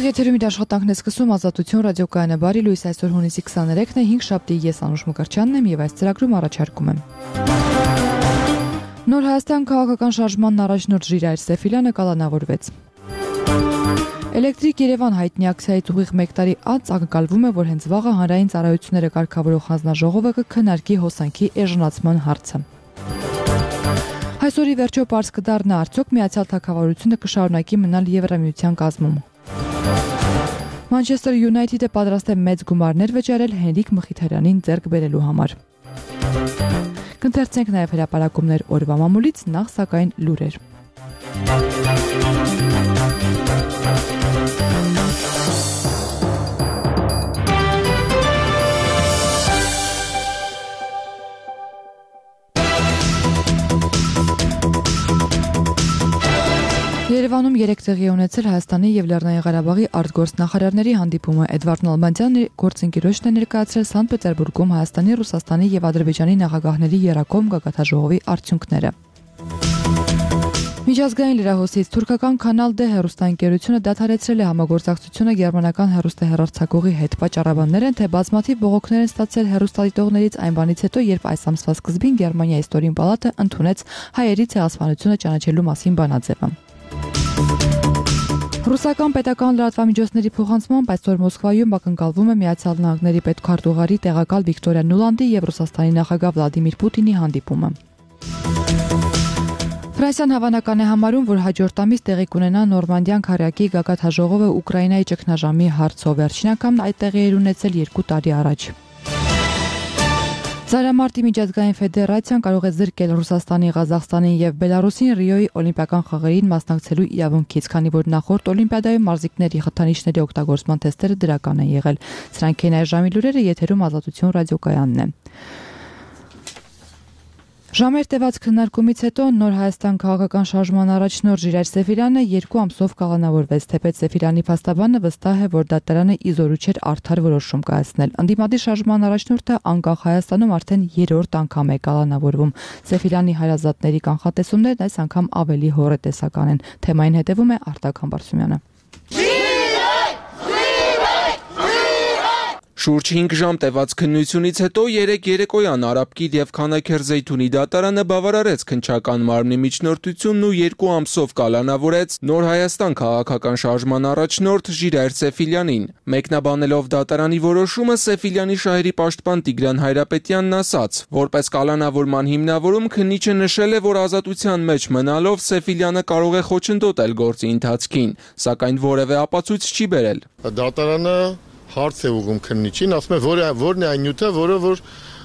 Ուղիղ եթերում իր աշխատանքն է սկսում Ազատություն ռադիոկայանը բարի լույս, այսօր հունիսի 23-ն է, 5 շաբթի, ես Անուշ Մկրտչյանն եմ եւ այս ծրագրում առաջարկում եմ։ Նոր Հայաստան քաղաքական շարժմանն առաջնորդ Ժիրայր Սեֆիլյանը կալանավորվեց։ Էլեկտրիկ Երևան հայտնի ակցիայից ուղիղ 1 տարի անց ակնկալվում է, որ հենց վաղը հանրային ծառայությունները կարգավորող հանձնաժողովը կքննարկի հոսանքի էժանացման հարցը։ Այսօրի վերջո պարզ կդառնա արդյոք Միացյալ Թագավորությունը կշարունակի մնալ Եվրամիության կազմում։ Manchester United-ը պատրաստ է մեծ գումարներ վճարել Հենրիկ Մխիթարյանին ձեռք բերելու համար։ Կընթերցենք նաև հրապարակումներ օրվա մամուլից, նախ սակայն լուրեր։ Երևանում 3 տեղի ունեցել Հայաստանի եւ Լեռնային Ղարաբաղի արտգործնախարարների հանդիպումը։ Էդվարդ Նալբանդյանը գործընկերոջն է ներկայացրել Սանտ Պետերբուրգում Հայաստանի, Ռուսաստանի եւ Ադրբեջանի նախագահների երակոմ գագաթնաժողովի արդյունքները։ Միջազգային լրահոսից թուրքական Canal D հեռուստաընկերությունը դադարեցրել է համագործակցությունը գերմանական հեռուստահեռարձակողի հետ։ Պատճառաբաններ են, թե բազմաթիվ բողոքներ են ստացել հեռուստադիտողներից այն բանից հետո, երբ այս ամսվա սկզբին Գերմանիայի ստորին պալատը ընդունեց հայերի ցեղասպանությունը ճանաչելու մասին բանաձևը։ Ռուսական պետական լրատվամիջոցների փոխանցմամբ այսօր Մոսկվայում ակնկալվում է Միացյալ Նահանգների պետքարտուղարի տեղակալ Վիկտորիա Նուլանդի եւ Ռուսաստանի նախագահ Վլադիմիր Պուտինի հանդիպումը։ Ֆրանսիան հավանական է համարում, որ հաջորդ ամիս տեղի կունենա Նորմանդիան քարյակի գագաթնաժողովը Ուկրաինայի ճգնաժամի հարցով։ Վերջին անգամ այդ տեղի էր ունեցել 2 տարի առաջ։ Ծայրամարտի միջազգային ֆեդերացիան կարող է զրկել Ռուսաստանի, Ղազախստանի եւ Բելարուսին Ռիոյի օլիմպիական խաղերին մասնակցելու իրավունքից, քանի որ նախորդ օլիմպիադայում մարզիկների խթանիչների օգտագործման թեստերը դրական են եղել։ Սրանք են այս ժամի լուրերը, եթերում Ազատություն ռադիոկայանն է։ Ժամեր տևած քննարկումից հետո Նոր Հայաստան քաղաքական շարժման առաջնորդ Ժիրայր Սեֆիլյանը 2 ամսով կալանավորվեց, թեպետ Սեֆիլյանի փաստաբանը վստահ է, որ դատարանը իզորու չէր արդար որոշում կայացնել։ Ընդդիմադիր շարժման առաջնորդը անկախ Հայաստանում արդեն 3-րդ անգամ է կալանավորվում։ Սեֆիլյանի հարազատների կանխատեսումներն այս անգամ ավելի հոռետեսական են։ Թեմային հետևում է Արտակ Համբարձումյանը։ Շուրջ 5 ժամ տևած քննությունից հետո 3 երեկոյան Արաբկիր եւ Քանաքեր Զեյթունի դատարանը բավարարեց քննչական մարմնի միջնորդությունն ու 2 ամսով կալանավորեց Նոր Հայաստան քաղաքական շարժման առաջնորդ Ժիրայր Սեֆիլյանին։ Մեկնաբանելով դատարանի որոշումը Սեֆիլյանի շահերի պաշտպան Տիգրան Հայրապետյանն ասաց, որպես կալանավորման հիմնավորում քննիչը նշել է, որ ազատության մեջ մնալով Սեֆիլյանը կարող է խոչընդոտել գործի ընթացքին, սակայն որևէ ապացույց չի բերել։ Դատարանը հարց է ուղղում քննիչին, ասում է որն է այն նյութը,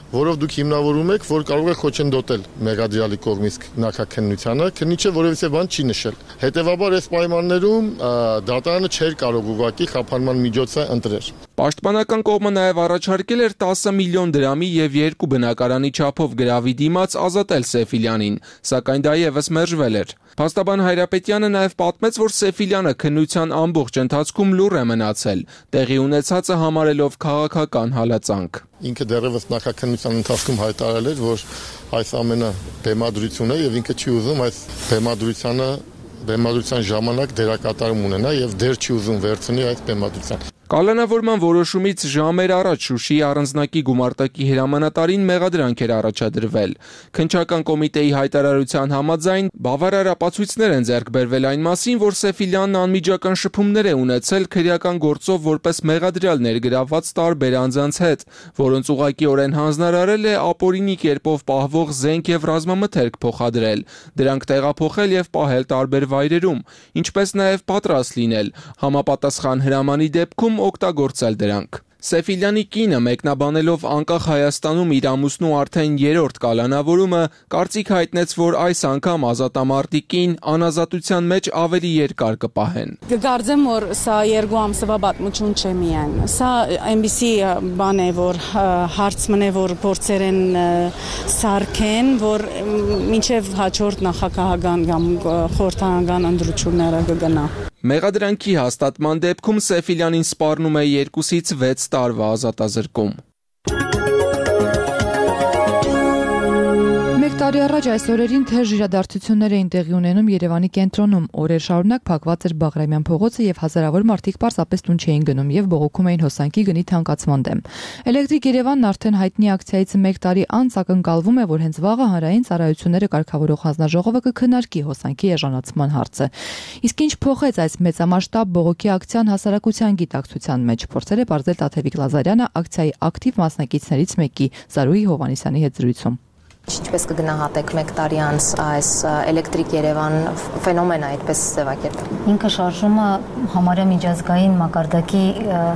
որով դուք հիմնավորում եք, որ կարող է խոչընդոտել մեղադրյալի կողմից նախաքննությանը, քննիչը որևէ բան չի նշել։ Հետևաբար այս պայմաններում դատարանը չէր կարող ուղղակի խափանման միջոցը ընտրել։ Պաշտպանական կողմը նաև առաջարկել էր 10 միլիոն դրամի եւ 2 բնակարանի չափով գրավի դիմաց ազատել Սեֆիլյանին, սակայն դա եւս մերժվել էր։ Փաստաբան Հայրապետյանը նաև պատմեց, որ Սեֆիլյանը քննության ամբողջ ընթացքում լուռ է մնացել, տեղի ունեցածը համարելով քաղաքական հալածանք։ Ինքը դեռևս նախաքննության ընթացքում հայտարարել էր, որ այս ամենը բեմադրություն է եւ ինքը չի ուզում այս բեմադրության ժամանակ դերակատարում ունենա եւ դեր չի ուզում վերցնի այս բեմադրության։ Կալանավորման որոշումից ժամեր առաջ Շուշիի առանձնակի գումարտակի հրամանատարին մեղադրանք էր առաջադրվել։ Քննչական կոմիտեի հայտարարության համաձայն բավարար ապացույցներ են ձեռք բերվել այն մասին, որ Սեֆիլյանն անմիջական շփումներ է ունեցել քրեական գործով որպես մեղադրյալ ներգրավված տարբեր անձանց հետ, որոնց ուղղակիորեն հանձնարարել է ապօրինի կերպով պահվող զենք եւ ռազմամթերք փոխադրել, դրանք տեղափոխել եւ պահել տարբեր վայրերում, ինչպես նաեւ պատրաստ լինել, համապատասխան հրամանի դեպքում օգտագործել դրանք։ Սեֆիլյանի կինը մեկնաբանելով անկախ Հայաստանում իր ամուսնու արդեն 3-րդ կալանավորումը կարծիք հայտնեց, որ այս անգամ ազատամարտիկին անազատության մեջ ավելի երկար կպահեն։ Կգարձեմ, որ սա 2 ամսվա պատմություն չէ միայն։ Սա այնպիսի բան է, որ հարց մնե, որ փորձեր են սարքեն, որ մինչև հաջորդ նախագահական կամ խորհրդարանական ընտրությունները կգնա։ Մեղադրանքի հաստատման դեպքում Սեֆիլյանին սպառնում է 2-ից 6 տարվա ազատազրկում։ տարի առաջ այս օրերին թեժ իրադարձություններ էին տեղի ունենում Երևանի կենտրոնում։ Օրեր շարունակ փակված էր Բաղրամյան փողոցը եւ հազարավոր մարդիկ պարզապես տուն չէին գնում եւ բողոքում էին հոսանքի գնի թանկացման դեմ։ Էլեկտրիկ Երևանն արդեն հայտնի ակցիայից 1 տարի անց ակնկալվում է, որ հենց վաղը հանրային ծառայությունները կարգավորող հանձնաժողովը կքննարկի հոսանքի էժանացման հարցը։ Իսկ ինչ փոխեց այս մեծամասշտաբ բողոքի ակցիան հասարակության գիտակցության մեջ, փորձել է բարձել Տաթևիկ Լազարյանը ակցիայի ակտիվ մասնակիցներից մեկի Զարուհի Հովհաննիսյանի հետ զրույցում։ Ինչպես կգնահատեք 1 տարի անց այս էլեկտրիկ Երևան ֆենոմենը այդպես ձևակերպել։ Ինքը շարժումը համարյա միջազգային մակարդակի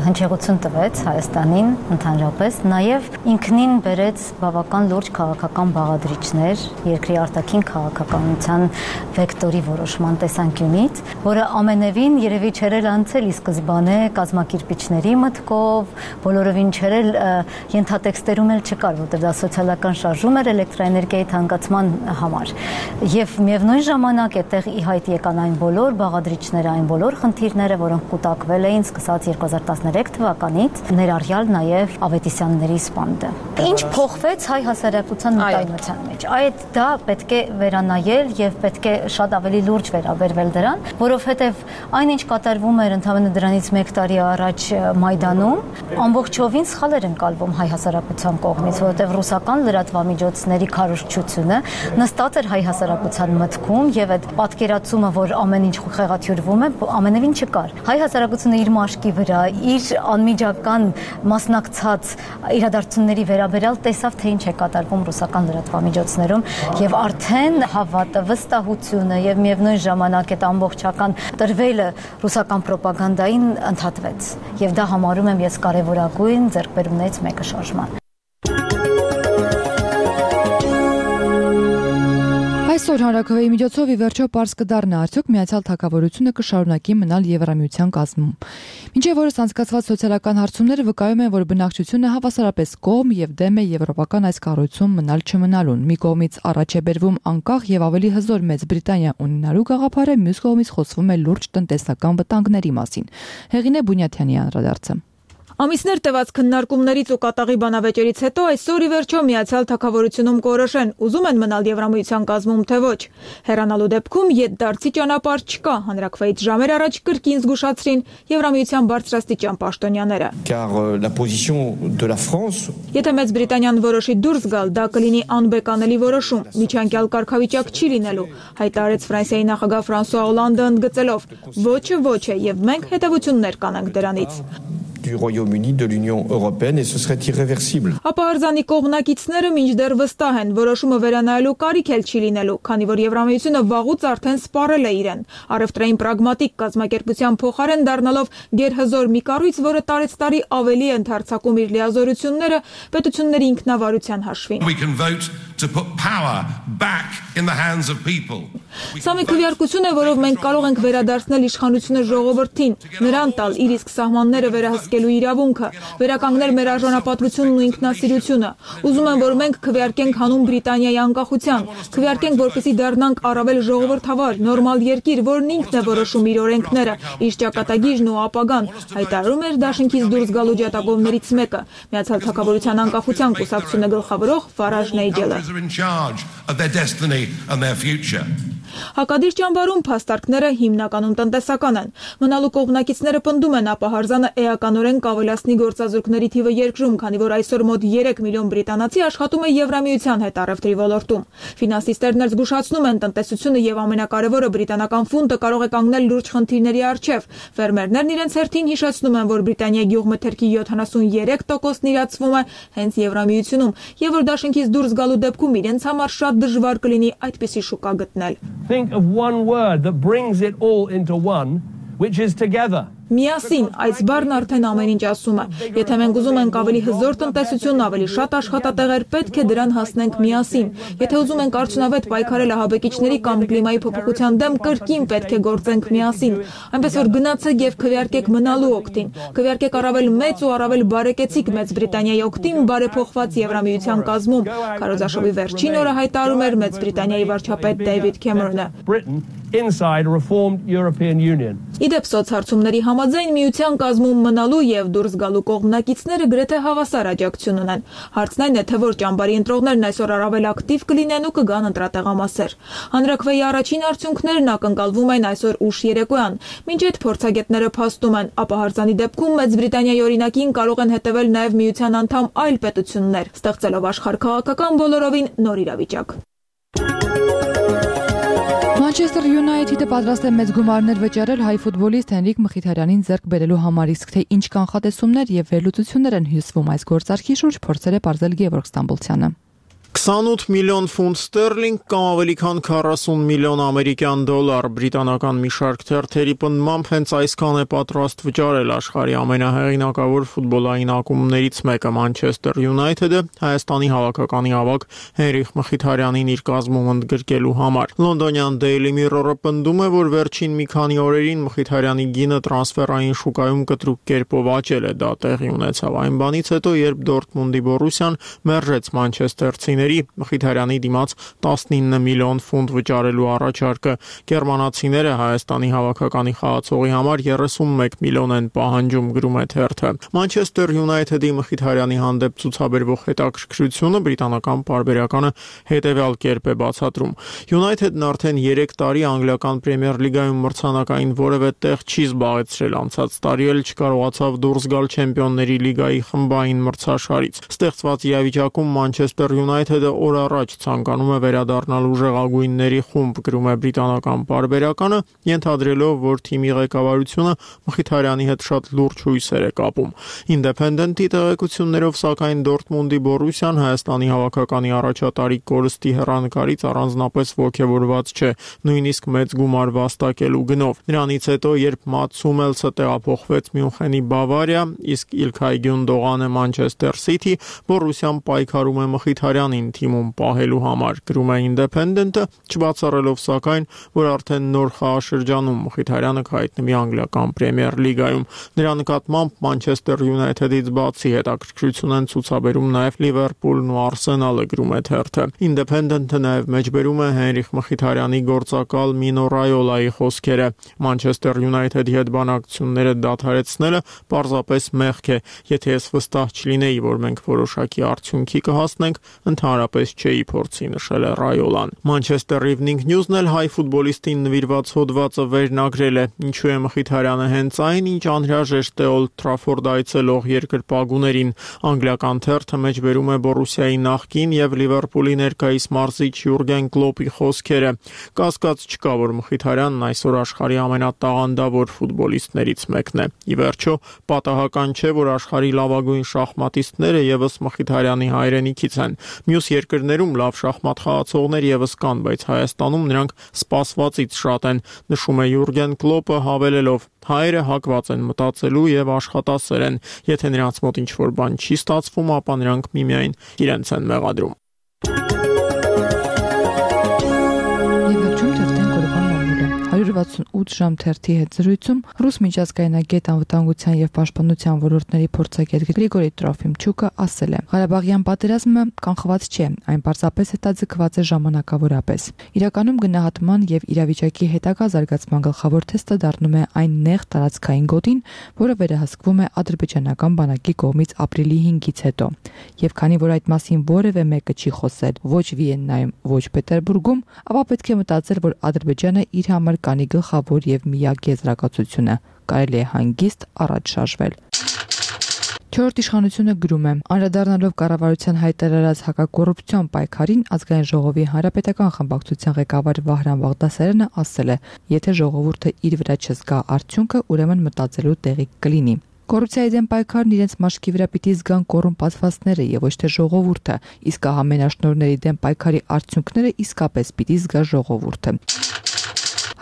հնչեղություն տվեց Հայաստանին ընդհանրապես, նաև ինքնին բերեց բավական լուրջ քաղաքական բաղադրիչներ երկրի արտաքին քաղաքականության վեկտորի որոշման տեսանկյունից, որը ամենևին երևի չէր անցել ի սկզբանե կազմակերպիչների մտքով, բոլորովին չէր ենթատեքստերում էլ չկար, որտեղ դա սոցիալական շարժում էր էլեկտրաէներգիայի թանկացման համար։ Եվ միևնույն ժամանակ այդտեղ ի հայտ եկան այն բոլոր բաղադրիչները, այն բոլոր խնդիրները, որոնք կուտակվել էին սկսած 2013 թվականից, ներառյալ նաև Ավետիսյանների սպանդը։ Ինչ փոխվեց հայ հասարակության մտայնության մեջ։ Այդ դա պետք է վերանայել եւ պետք է շատ ավելի լուրջ վերաբերվել դրան, որովհետեւ այն ինչ կատարվում էր ընդհանրապես դրանից 1 տարի առաջ Մայդանում, ամբողջովին սխալ էր ընկալվում հայ հասարակության կողմից, որովհետեւ ռուսական լրատվամիջոցների քարոզչությունը նստած էր հայ հասարակության մտքում եւ այդ պատկերացումը, որ ամեն ինչ խեղաթյուրվում է, ամենևին չկար։ Հայ հասարակությունը իր մաշկի վրա, իր անմիջական մասնակցած իրադարձությունների վերաբերյալ տեսավ, թե ինչ է կատարվում ռուսական լրատվամիջոցներում եւ արդեն հավատը, վստահությունը եւ միևնույն ժամանակ այդ ամբողջական տրվելը ռուսական ռոպագանդային ընդհատվեց եւ դա համարում եմ ես կարեւորագույն ձեռքբերումներից մեկը շարժման։ Այսօր հանրաքվեի միջոցով ի վերջո պարզ կդառնա արդյոք Միացյալ Թագավորությունը կշարունակի մնալ Եվրամիության կազմում։ Մինչև օրս անցկացված սոցիալական հարցումները վկայում են, որ բնակչությունը հավասարապես կողմ եւ դեմ է եվրոպական այս կառույցում մնալ չմնալուն։ Մի կողմից առաջ է բերվում անկախ եւ ավելի հզոր Մեծ Բրիտանիա ունենալու գաղափարը, մյուս կողմից խոսվում է լուրջ տնտեսական վտանգների մասին։ Հեղինե Բունյաթյանի անդրադարձը։ Ամիսներ տևած քննարկումներից ու կատաղի բանավեճերից հետո այսօր ի վերջո Միացյալ Թագավորությունում կորոշեն, ուզում են մնալ Եվրամիության կազմում թե ոչ։ Հեռանալու դեպքում ետդարձի ճանապարհ չկա, հանրաքվեից ժամեր առաջ կրկին զգուշացրին Եվրամիության բարձրաստիճան պաշտոնյաները։ Եթե Մեծ Բրիտանիան որոշի դուրս գալ, դա կլինի անբեկանելի որոշում, միջանկյալ կարգավիճակ չի լինելու, հայտարարեց Ֆրանսիայի նախագահ Ֆրանսուଆ Օլանդը ընդգծելով. Ոչը ոչ է եւ մենք հետեւություններ կանենք դրանից։ Du Royaume-Uni de l'Union européenne et ce serait irréversible. Ապահարզանի կողմնակիցները մինչդեռ վստահ են, որոշումը վերանայելու կարիք էլ չի լինելու, քանի որ Եվրամիությունը վաղուց արդեն սպառել է իրեն։ Առևտրային պրագմատիկ կազմակերպության փոխարեն դառնալով գերհզոր մի կառույց, որը տարեցտարի ավելի է ընդարձակում իր լիազորությունները պետությունների ինքնավարության հաշվին։ Սա մի քվեարկություն է, որով մենք կարող ենք վերադարձնել իշխանությունը ժողովրդին, նրան տալ իր իսկ սահմանները վերահսկելու իրավունքը, վերականգնել մեր արժանապատվությունն ու ինքնասիրությունը։ Ուզում եմ, որ մենք քվեարկենք հանուն Բրիտանիայի անկախության, քվեարկենք, որպեսզի դառնանք առավել ժողովրդավար, նորմալ երկիր, որն ինքն է որոշում իր օրենքները, իր ճակատագիրն ու ապագան, հայտարարում էր դաշինքից դուրս գալու ջատագովներից մեկը, Միացյալ Թագավորության անկախության կուսակցությունը գլխավորող Ֆարաժ Նայջելը։ Հակադիր ճամբարում փաստարկները հիմնականում տնտեսական են։ Մնալու կողմնակիցները պնդում են ապահարզանը էականորեն կավելացնի գործազուրկների թիվը երկրում, քանի որ այսօր մոտ 3 միլիոն բրիտանացի աշխատում է Եվրամիության հետ առևտրի ոլորտում։ Ֆինանսիստերն էլ զգուշացնում են տնտեսությունը եւ ամենակարևորը բրիտանական ֆունտը կարող է կանգնել լուրջ խնդիրների առջև։ Ֆերմերներն իրենց հերթին հիշեցնում են, որ Բրիտանիայի գյուղմթերքի 73%-ն իրացվում է հենց Եվրամիությունում, եւ որ դաշինքից դուրս գալու դեպքում իրենց համար շատ դժվար կլինի այդպիսի շուկա գտնել։ Think of one word that brings it all into one, which is together. Միասին, այս բառն արդեն ամեն ինչ ասում է։ Եթե մենք ուզում ենք ավելի հզոր տնտեսություն, ավելի շատ աշխատատեղեր, պետք է դրան հասնենք միասին։ Եթե ուզում ենք արդյունավետ պայքարել ահաբեկիչների կամ կլիմայի փոփոխության դեմ, կրկին պետք է գործենք միասին։ Այնպես որ գնացեք եւ քվեարկեք մնալու օգտին։ Քվեարկեք առավել մեծ ու առավել բարեկեցիկ Մեծ Բրիտանիայի օգտին բարեփոխված Եվրամիության կազմում։ Քարոզաշովի վերջին օրը հայտարարում էր Մեծ Բրիտանիայի վարչապետ Դեյվիդ Քեմերոնը։ inside a reformed European Union. Իդեպ սոցհարցումների համաձայն միության կազմում մնալու եւ դուրս գալու կողմնակիցները գրեթե հավասար աջակցություն ունեն։ Հարցն այն է, թե որ ճամբարի ընտրողներն այսօր առավել ակտիվ կլինեն ու կգան ընտրատեղամասեր։ Հանրաքվեի առաջին արդյունքներն ակնկալվում են այսօր ուշ երեկոյան։ Մինչ այդ փորձագետները փաստում են, ապահարզանի դեպքում Մեծ Բրիտանիայի օրինակին կարող են հետևել նաեւ միության անդամ այլ պետություններ, ստեղծելով աշխարհքաղաքական բոլորովին նոր իրավիճակ։ Manchester United-ը պատրաստ է մեծ գումարներ վճարել հայ ֆուտբոլիստ Հենրիկ Մխիթարյանին ձեռք բերելու համար, իսկ թե ինչ կանխատեսումներ եւ վերլուծություններ են հյուսվում այս գործարքի շուրջ, փորձել է պարզել Գևորգ Ստամբոլցյանը։ 28 միլիոն ֆունտ ստերլինգ կամ ավելի քան 40 միլիոն ամերիկյան դոլար բրիտանական մի շարք թերթերի պնդմամբ հենց այսքան է պատրաստ վճարել աշխարհի ամենահեղինակավոր ֆուտբոլային ակումբներից մեկը Manchester United-ը Հայաստանի հավաքականի ավագ Հենրիկ Մխիթարյանին իր կազմում ընդգրկելու համար։ Լոնդոնյան Daily Mirror-ը պնդում է, որ վերջին մի քանի օրերին Մխիթարյանի գինը տրանսֆերային շուկայում կտրուկ կերպով աճել է, դա տեղի ունեցավ այն բանից հետո, երբ Դորտմունդի Բորուսիան մերժեց մանչեստերցիների Մխիթարյանի դիմաց 19 միլիոն ֆունտ վճարելու առաջարկը։ Գերմանացիները Հայաստանի հավաքականի խաղացողի համար 31 միլիոն են պահանջում, գրում է թերթը։ Manchester United-ի Մխիթարյանի հանդեպ ցուցաբերվող հետաքրքրությունը բրիտանական պարբերականը հետևյալ կերպ է բացատրում։ United-ն արդեն 3 տարի անգլիական Պրեմիեր լիգայում մրցանակային որևէ տեղ չի զբաղեցրել, անցած տարի էլ չկարողացավ դուրս գալ Չեմպիոնների լիգայի խմբային մրցաշարից։ Ստեղծված իրավիճակում Manchester United-ը օր առաջ ցանկանում է վերադառնալ ուժեղագույնների խումբ, գրում է բրիտանական պարբերականը, ենթադրելով, որ թիմի ղեկավարությունը Մխիթարյանի հետ շատ լուրջ հույսեր է կապում։ Independent-ի տեղեկություններով, սակայն Դորտմունդի Բորուսիան Հայաստանի հավաքականի առաջատարի կորստի հեռանկարից առանձնապես ոգևորված չէ, նույնիսկ մեծ գումար վաստակելու գնով։ Նրանից հետո, երբ Մատս Հումելսը տեղափոխվեց Մյունխենի Բավարիա, իսկ Իլքայ Գյունդողանը Manchester City, Բորուսիան պայքարում է Մխիթարյանին թիմում պահելու համար, գրում է Independent-ը, չբացառելով սակայն, որ արդեն նոր խաղաշրջանում Մխիթարյանը կհայտնվի անգլիական Պրեմիեր լիգայում։ Նրա նկատմամբ Manchester United-ից բացի հետաքրքրություն են ցուցաբերում նաև Լիվերպուլն ու Արսենալը, գրում է թերթը։ Independent-ը նաև մեջբերում է Հենրիկ Մխիթարյանի գործակալ Մինո Ռայոլայի խոսքերը։ Manchester United-ի հետ բանակցությունները դադարեցնելը պարզապես մեղք է, եթե ես վստահ չլինեի, որ մենք որոշակի արդյունքի կհասնենք, ընդհանրապես չէի փորձի, նշել է Ռայոլան։ Manchester Evening News-ն էլ հայ ֆուտբոլիստին նվիրված հոդվածը վերնագրել է։ Ինչու է Մխիթարյանը հենց այն, ինչ անհրաժեշտ է Old Trafford այցելող երկրպագուներին։ Անգլիական թերթը մեջբերում է Բորուսիայի նախկին եւ Լիվերպուլի ներկայիս մարզիչ Յուրգեն Կլոպի խոսքերը։ Կասկած չկա, որ Մխիթարյանն այսօր աշխարհի ամենատաղանդավոր ֆուտբոլիստներից մեկն է։ Ի վերջո, պատահական չէ, որ աշխարհի լավագույն շախմատիստները եւս Մխիթարյանի հայրենիքից են։ Մյուս երկրներում լավ շախմատ խաղացողներ եւս կան, բայց Հայաստանում նրանք սպասվածից շատ են, նշում է Յուրգեն Կլոպը, հավելելով. հայերը հակված են մտածելու եւ աշխատասեր են։ Եթե նրանց մոտ ինչ-որ բան չի ստացվում, ապա նրանք միմիայն իրենց են մեղադրում։ 168 ժամ թերթի հետ զրույցում ռուս միջազգայնագետ անվտանգության եւ պաշտպանության ոլորտների փորձագետ Գրիգորի Տրոֆիմչուկը ասել է. Ղարաբաղյան պատերազմը կանխված չէ, այն պարզապես հետաձգված է ժամանակավորապես։ Իրականում գնահատման եւ իրավիճակի հետագա զարգացման գլխավոր թեստը դառնում է այն նեղ տարածքային գոտին, որը վերահսկվում է ադրբեջանական բանակի կողմից ապրիլի 5-ից հետո։ Եվ քանի որ այդ մասին որևէ մեկը չի խոսել ոչ Վիեննայում, ոչ Պետերբուրգում, ապա պետք է մտածել, որ Ադրբեջանը իր համար կանի գլխավոր եւ միակ եզրակացությունը կարելի է հանգիստ առաջ շարժվել։ Չորրորդ իշխանությունը գրում է. անդրադառնալով կառավարության հայտարարած հակակոռուպցիոն պայքարին, ազգային ժողովի հանրապետական խմբակցության ղեկավար Վահրամ Բաղդասարյանը ասել է. եթե ժողովուրդը իր վրա չզգա արդյունքը, ուրեմն մտածելու տեղի կլինի։ Կոռուպցիայի դեմ պայքարն իրենց մաշկի վրա պիտի զգան կոռումպացվածները եւ ոչ թե ժողովուրդը, իսկ ահամենաշնորհների դեմ պայքարի արդյունքները իսկապես պիտի զգա ժողովուրդը։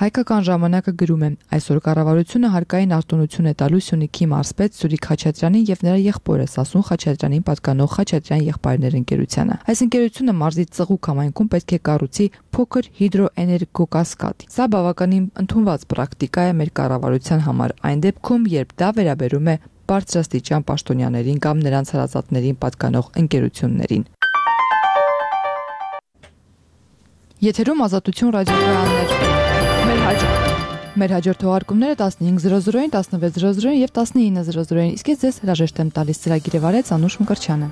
Հայկական ժամանակը գրում է. այսօր կառավարությունը հարկային արտոնություն է տալու Սյունիքի մարզպետ Սուրիկ Խաչատրյանին եւ նրա եղբորը Սասուն Խաչատրյանին պատկանող Խաչատրյան եղբայրներ ընկերությանը։ Այս ընկերությունը մարզի Ծղուկ համայնքում պետք է կառուցի փոքր հիդրոէներգոկասկադ։ Սա բավականին ընդունված պրակտիկա է մեր կառավարության համար, այն դեպքում, երբ դա վերաբերում է բարձրաստիճան պաշտոնյաներին կամ նրանց հարազատներին պատկանող ընկերություններին։ Եթերում Ազատություն ռադիոկայաններ։ Մեր Մեր հաջորդ թողարկումները 15:00-ին, 16:00-ին եւ 19:00-ին։ Իսկ ես ձեզ հրաժեշտ եմ տալիս։ Ծրագիրը վարեց Անուշ Մկրտչյանը։